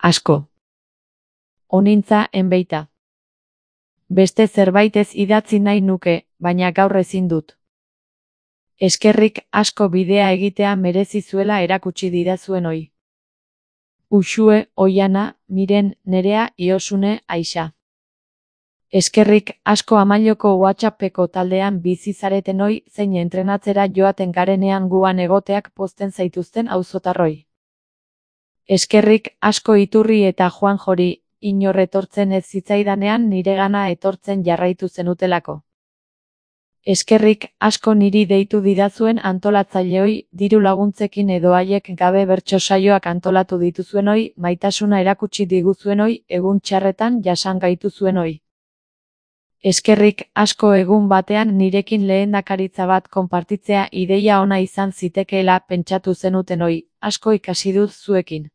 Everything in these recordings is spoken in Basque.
Asko. Onintza enbeita. Beste zerbaitez idatzi nahi nuke, baina gaur ezin dut. Eskerrik asko bidea egitea merezi zuela erakutsi didazuen oi. Uxue, Oiana, Miren, Nerea, Iosune, Aixa. Eskerrik asko Amaioko WhatsAppeko taldean bizi zareten oi, zein entrenatzera joaten garenean guan egoteak pozten zaituzten auzotarroi. Eskerrik asko Iturri eta Juanjori, inor etortzen ez zitzaidanean niregana etortzen jarraitu zenutelako. Eskerrik asko niri deitu didazuen antolatzaileoi, diru laguntzekin edo haiek gabe bertso saioak antolatu dituzuenoi, maitasuna erakutsi diguzuenoi, egun txarretan jasan gaituzuenoi. Eskerrik asko egun batean nirekin lehendakaritza bat konpartitzea ideia ona izan zitekeela pentsatu zenutenoi, asko ikasi dut zuekin.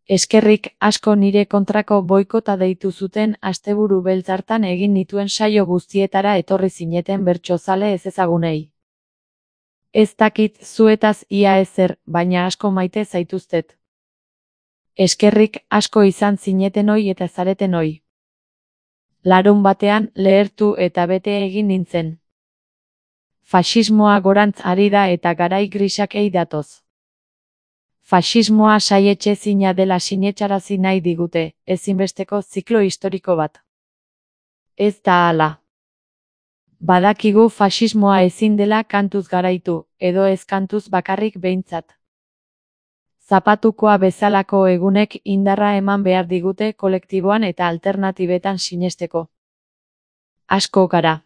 Eskerrik asko nire kontrako boikota deitu zuten asteburu beltz hartan egin nituen saio guztietara etorri zineten bertsozale ezezagunei. Ez dakit zuetaz ia ezer, baina asko maite zaituztet. Eskerrik asko izan zinetenoi eta zaretenoi. Larun batean lehertu eta bete egin nintzen. Faxismoa gorantz ari da eta garai grisak ei datoz. Faxismoa saietxezina dela sinetxarazi nahi digute, ezinbesteko ziklo historiko bat. Ez da hala. Badakigu faxismoa ezin dela kantuz garaitu, edo ez kantuz bakarrik behintzat. Zapatukoa bezalako egunek indarra eman behar digute kolektiboan eta alternatibetan sinesteko. Asko gara.